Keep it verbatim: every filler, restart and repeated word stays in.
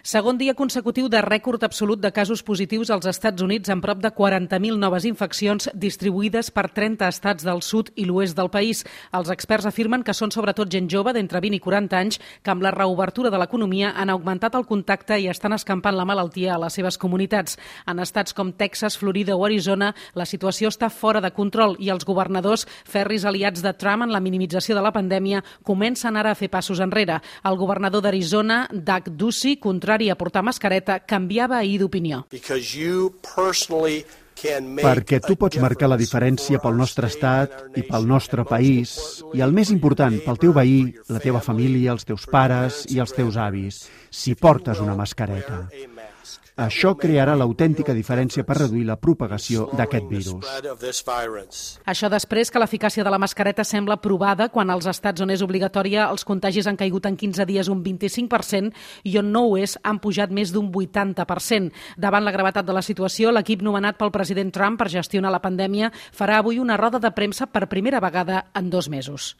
Segon dia consecutiu de rècord absolut de casos positius als Estats Units, amb prop de quaranta mil noves infeccions distribuïdes per trenta estats del sud i l'oest del país. Els experts afirmen que són sobretot gent jove d'entre vint i quaranta anys que amb la reobertura de l'economia han augmentat el contacte i estan escampant la malaltia a les seves comunitats. En estats com Texas, Florida o Arizona, la situació està fora de control i els governadors, ferris aliats de Trump en la minimització de la pandèmia, comencen ara a fer passos enrere. El governador d'Arizona, Doug Ducey, contrari a portar mascareta, canviava ahir d'opinió. Perquè tu pots marcar la diferència pel nostre estat i pel nostre país i, el més important, pel teu veí, la teva família, els teus pares i els teus avis, si portes una mascareta. Això crearà l'autèntica diferència per reduir la propagació d'aquest virus. Això després que l'eficàcia de la mascareta sembla provada quan als estats on és obligatòria els contagis han caigut en quinze dies un vint-i-cinc per cent i on no ho és han pujat més d'un vuitanta per cent. Davant la gravetat de la situació, l'equip nomenat pel president Trump per gestionar la pandèmia farà avui una roda de premsa per primera vegada en dos mesos.